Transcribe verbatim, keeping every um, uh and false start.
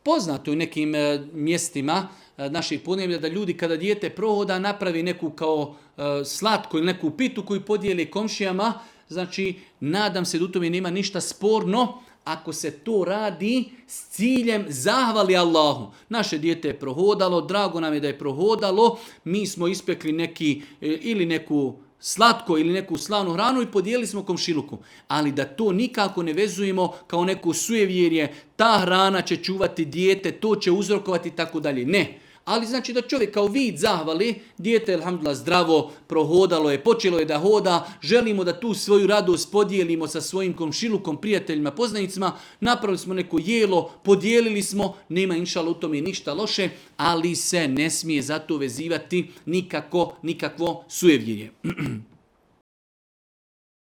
Poznato u nekim mjestima naših podneblja da ljudi kada dijete prohoda napravi neku kao slatku ili neku pitu koju podijeli komšijama. Znači, nadam se da u tome nema ništa sporno ako se to radi s ciljem zahvali Allahu. Naše dijete je prohodalo, drago nam je da je prohodalo, mi smo ispekli neki ili neku slatko ili neku slavnu hranu i podijelili smo komšiluku. Ali da to nikako ne vezujemo kao neko sujevjerje, ta hrana će čuvati dijete, to će uzrokovati i tako dalje. Ne. Ali znači da čovjek kao vid zahvali, dijete je alhamdulillah zdravo, prohodalo je, počelo je da hoda, želimo da tu svoju radost podijelimo sa svojim komšilukom, prijateljima, poznanicima, napravili smo neko jelo, podijelili smo, nema inšala u tome ništa loše, ali se ne smije zato vezivati nikako, nikakvo sujevjerje.